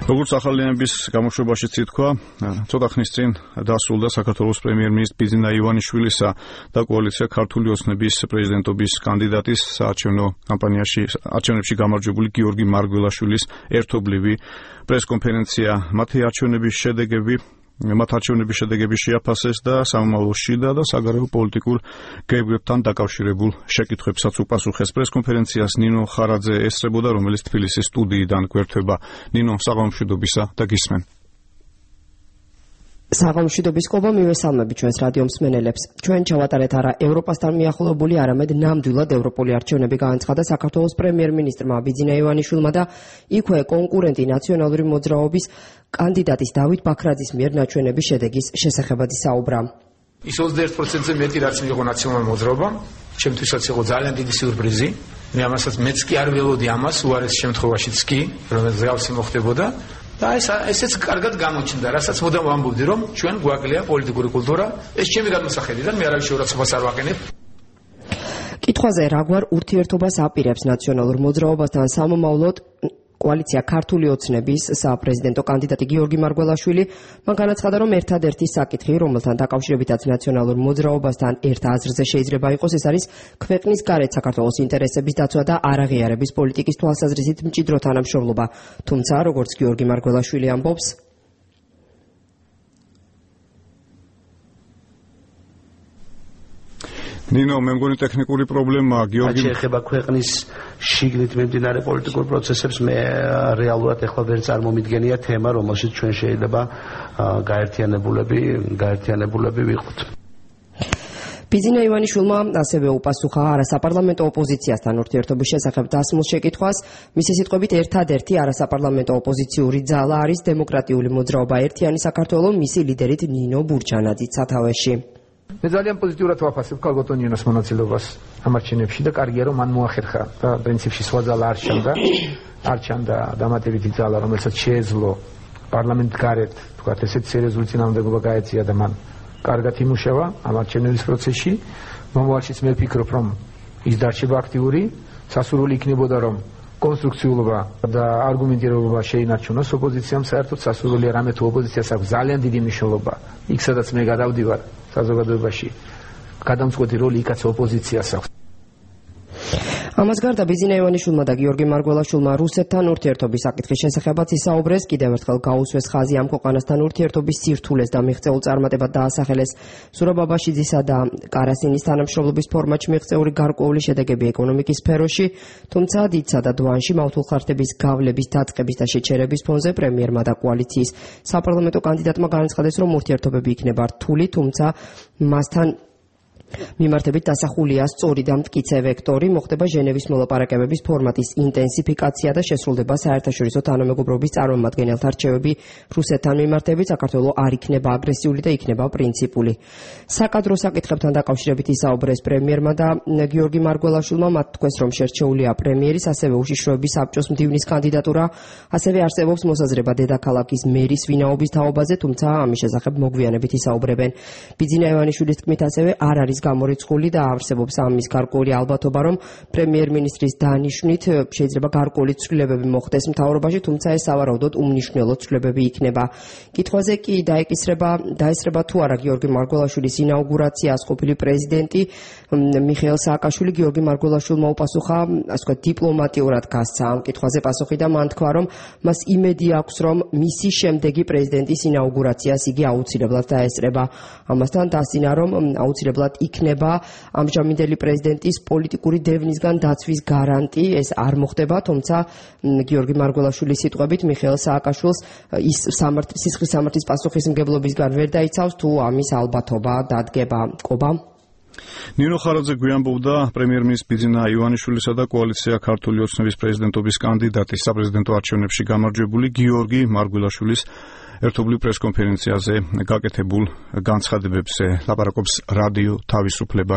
როგორც ახალიანების გამოშვებაშიც ითქვა, ცოტა ხნის წინ დასრულდა საქართველოს პრემიერ-მინისტრის ბიძინა ივანიშვილისა და კოალიცია ქართული ოცნების პრეზიდენტობის კანდიდატის საარჩევნო კამპანიაში არჩევნებში გამარჯვებული გიორგი მარგველაშვილის ერთობლივი პრესკონფერენცია. მათ არჩევნების შედეგები შეაფასეს და სამომავლო შიდა და საგარეო პოლიტიკურ გეგმებთან დაკავშირებულ შეკითხვებსაც უპასუხეს. პრესკონფერენციას ნინო ხარაძე ესწრებოდა, რომელიც თბილისის სტუდიიდან გვერდება. ნინო, საღამომშვიდობისა და გისმენ. საღამომშვიდობის ყობა მივესალმები ჩვენს რადიო მსმენელებს. ჩვენ ჩავატარეთ არა ევროპასთან მიახლოებული, არამედ ნამდვილად ევროპული არჩევნები განაცხადა საქართველოს პრემიერ-მინისტრმა ბიძინა ივანიშვილმა და იქვე კონკურენტი ნაციონალური მოძრაობის კანდიდატის დავით ბაქრაძის მიერ ნაჩვენების შედეგის შესახებაც ისაუბრა. ის 21%-ზე მეტი რაც მიიღო ნაციონალური მოძრაობა, ჩემთვისაც იყო ძალიან დიდი სიურპრიზი. მე ამასაც მეც კი არ ველოდი ამას, უარეს შემთხვევაშიც კი, რომელიც ზავსი მოხდებოდა. და ესეც კარგად გამოჩნდა, რასაც მოდამ ვამბობდი, რომ ჩვენ გვაკლია პოლიტიკური კულტურა. ეს ჩემი გადმოსახედიდან, მე არავის შეურაცხყოფას არ ვაყენებ. კითხვაზე რაგვარ ურთიერთობას აპირებს ნაციონალურ მოძრაობასთან სამომავლოდ კოალიცია ქართული ოცნების საპრეზიდენტო კანდიდატი გიორგი მარგველაშვილი, მან განაცხადა, რომ ერთადერთი საკითხი, რომელთან დაკავშირებითაც ნაციონალურ მოძრაობასთან ერთ აზრზე შეიძლება იყოს, ეს არის ქვეყნის გარეთ საქართველოს ინტერესების დაცვა და არაღიარების პოლიტიკის თვალსაზრისით მჭიდრო თანამშრომლობა. თუმცა, როგორც გიორგი მარგველაშვილი ამბობს, ნინო, მე მგონი ტექნიკური პრობლემაა. გიორგი ეხება ქვეყნის შიგნით მიმდინარე პოლიტიკურ პროცესებს, მე რეალურად ეხლა ვერ წარმომიდგენია თემა, რომელშიც ჩვენ შეიძლება გაერთიანებულები ვიყოთ. ბიძინა ივანიშვილმა ასევე უპასუხა არასაპარლამენტო ოპოზიციასთან ურთიერთობის შესახებ დასმულ შეკითხვას. მისი სიტყვებით, ერთადერთი არასაპარლამენტო ოპოზიციური ძალა არის დემოკრატიული მოძრაობა ერთიანი საქართველო, მისი ლიდერით ნინო ბურჩანაძის სათავეში. მე ძალიან პოზიტიურად ვაფასებ ქალბატონ ნინოს მონაწილეობას ამ არჩევნებში და კარგია რომ მან მოახერხა და პრინციპში სხვა ძალა არ ჩანდა დამატებითი ძალა, რომელსაც შეეძლო პარლამენტ გარეთ თქვათ ესეთ სერიოზული წინააღმდეგობა გაეწია და მან კარგად იმუშავა ამ არჩევნების პროცესში. მომავალშიც მე ვფიქრობ, რომ ის დარჩება აქტიური, სასურველი იქნებოდა რომ კონსტრუქციულობა და არგუმენტირებობა შეინარჩუნოს ოპოზიციამ. საერთოდ სასურველია რამე თუ ოპოზიციას აქვს ძალიან დიდი მნიშვნელობა იქ სადაც მე გადავდივარ საზოგადოებაში, გადამწყვეტი როლი იქაც ოპოზიციას აქვს. ამას გარდა ბიძინა ივანიშვილმა და გიორგი მარგველაშვილმა რუსეთთან ურთიერთობის საკითხის შესახებაც ისაუბრეს. კიდევ ერთხელ გაუსვეს ხაზი ამ ქვეყანასთან ურთიერთობის სირთულეს და მიღწეულ წარმატებად დაასახელეს სურაბაბაშიძისა და კარასინის თანამშრომლობის ფორმატში მიღწეული გარკვეული შედეგები ეკონომიკის სფეროში. თუმცა დიდსა და დვანში მავთულხარდების გავლების დაწყების და შეჩერების ფონზე პრემიერმა და კოალიციის საპარლამენტო კანდიდატმა განაცხადეს, რომ ურთიერთობები იქნება რთული, თუმცა მასთან მიმართებით დასახულია სწორი და მტკიცე ვექტორი, მოხდება ჟენევის მოლაპარაკებების ფორმატის ინტენსიფიკაცია და შესრულდება საერთაშორისო თანამეგობრობის წარმომადგენელთა რჩევები რუსეთთან მიმართებით. საქართველო არ იქნება აგრესიული და იქნება პრინციპული. საკადრო საკითხებთან დაკავშირებით ისაუბრეს პრემიერმა და გიორგი მარგველაშვილმა. მათ თქვეს, რომ შერჩეულია პრემიერის, ასევე უშიშროების საბჭოს მდივნის კანდიდატურა, ასევე არსებობს მოსაზრება დედაქალაქის მერის ვინაობის თაობაზე, თუმცა ამის შესახებ მოგვიანებით ისაუბრებენ. ბიძინა ივანიშვილის თქმით, ასევე არ არის გამორიცხული და არსებობს ამის გარკვეული ალბათობა, რომ პრემიერ-მინისტრის დანიშვნით შეიძლება გარკვეული ცვლილებები მოხდეს მთავრობაში, თუმცა ეს სავარაუდოდ უმნიშვნელო ცვლილებები იქნება. კითხვაზე კი დაესწრება თუ არა გიორგი მარგველაშვილის ინაუგურაციას ყოფილი პრეზიდენტი მიხეილ სააკაშვილი, გიორგი მარგველაშვილმა უპასუხა, ასე ვთქვათ, დიპლომატიურად გასცა ამ კითხვაზე პასუხი და მან თქვა, რომ მას იმედი აქვს, რომ მისი შემდეგი პრეზიდენტის ინაუგურაციას იგი აუცილებლად დაესწრება. ამასთან დასძინა, რომ აუცილებლად იქნება ამჟამინდელი პრეზიდენტის პოლიტიკური დევნისგან დაცვის გარანტი. ეს არ მოხდება, თუმცა გიორგი მარგველაშვილის სიტყვებით მიხეილ სააკაშვილს ის სისხლის სამართლის პასუხისმგებლობისგან ვერ დაიცავს თუ ამის ალბათობა დადგება. ყობა ნინო ხარაძე გვიამბობდა პრემიერ-მინისტრის ბიძინა ივანიშვილისა და კოალიცია ქართული ოცნების პრეზიდენტობის კანდიდატის საპრეზიდენტო არჩევნებში გამარჯვებული გიორგი მარგველაშვილის ერთობლივ პრესკონფერენციაზე გაკეთებულ განცხადებებზე. ლაპარაკობს რადიო თავისუფლება.